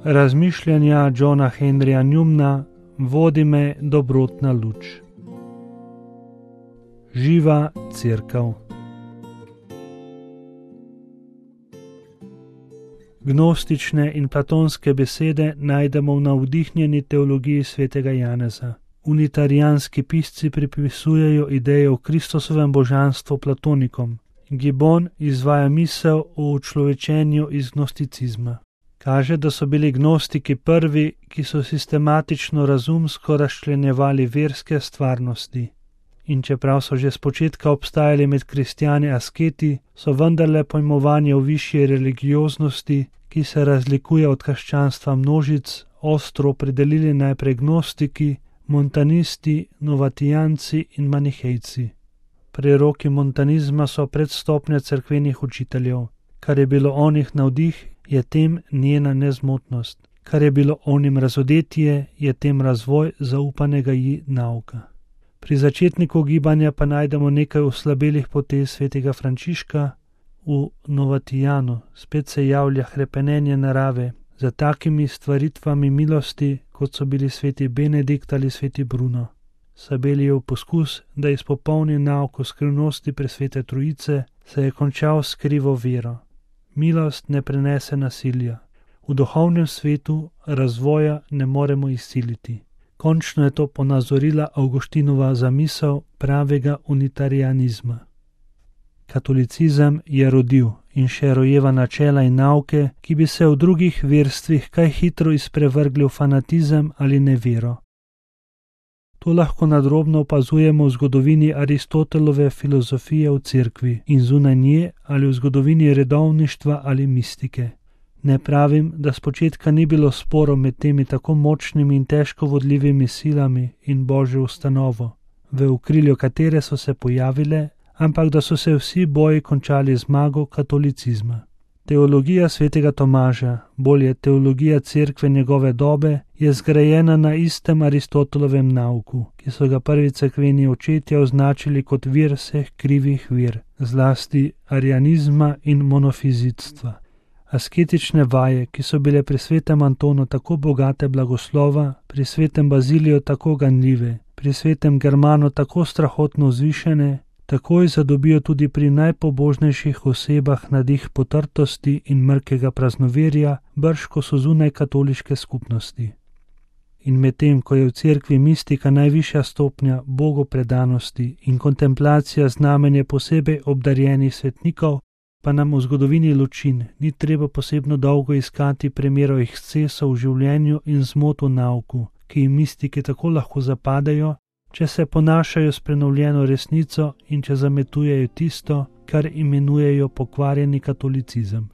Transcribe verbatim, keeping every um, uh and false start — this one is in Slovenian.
Razmišljanja Johna Henryja Newmana, vodi me dobrotna luč. Živa cerkev. Gnostične in platonske besede najdemo v navdihnjeni teologiji svetega Janeza. Unitarijanski pisci pripisujejo ideje o Kristusovem božanstvu platonikom. Gibbon izvaja misel o učlovečenju iz gnosticizma. Kaže, da so bili gnostiki prvi, ki so sistematično razumsko razčlenjevali verske stvarnosti. In čeprav so že spočetka obstajali med kristjani asketi, so vendarle pojmovanje o višji religioznosti, ki se razlikuje od krščanstva množic, ostro opredelili najprej gnostiki, montanisti, novatijanci in manihejci. Preroki montanizma so predstopnja cerkvenih učiteljev. Kar je bilo onih navdih, je tem njena nezmotnost. Kar je bilo onim razodetje, je tem razvoj zaupanega ji nauka. Pri začetniku gibanja pa najdemo nekaj oslabelih potez svetega Frančiška. V Novatijanu spet se javlja hrepenenje narave za takimi stvaritvami milosti, kot so bili sveti Benedikt ali sveti Bruno. Sabelijev poskus, da izpopolni nauk o skrivnosti presvete Trojice, se je končal s krivo vero. Milost ne prenese nasilja. V duhovnem svetu razvoja ne moremo izsiliti. Končno je to ponazorila Avguštinova zamisel pravega unitarianizma. Katolicizem je rodil in še rojeva načela in nauke, ki bi se v drugih verstvih kaj hitro izprevrgli v fanatizem ali nevero. To lahko nadrobno opazujemo v zgodovini Aristotelove filozofije v cerkvi in zunaj nje ali v zgodovini redovništva ali mistike. Ne pravim, da spočetka ni bilo sporov med temi tako močnimi in težko vodljivimi silami in Božjo ustanovo, v okrilju katere so se pojavile, ampak da so se vsi boji končali zmago katolicizma. Teologija svetega Tomaža, bolje teologija cerkve njegove dobe, je zgrajena na istem Aristotelovem nauku, ki so ga prvi cerkveni očetje označili kot vir vseh krivih vir, zlasti arianizma in monofizitstva. Asketične vaje, ki so bile pri svetem Antonu tako bogate blagoslova, pri svetem Baziliju tako ganljive, pri svetem Germanu tako strahotno vzvišene, takoj zadobijo tudi pri najpobožnejših osebah nadih potrtosti in mrkega praznoverja, brž ko so zunaj katoliške skupnosti. In medtem, ko je v cerkvi mistika najvišja stopnja bogopredanosti in kontemplacija znamenje posebej obdarjenih svetnikov, pa nam v zgodovini ločin ni treba posebno dolgo iskati primerov ekscesov v življenju in zmot v nauku, ki jim mistiki tako lahko zapadajo, če se ponašajo s prenovljeno resnico in če zametujejo tisto, kar imenujejo pokvarjeni katolicizem.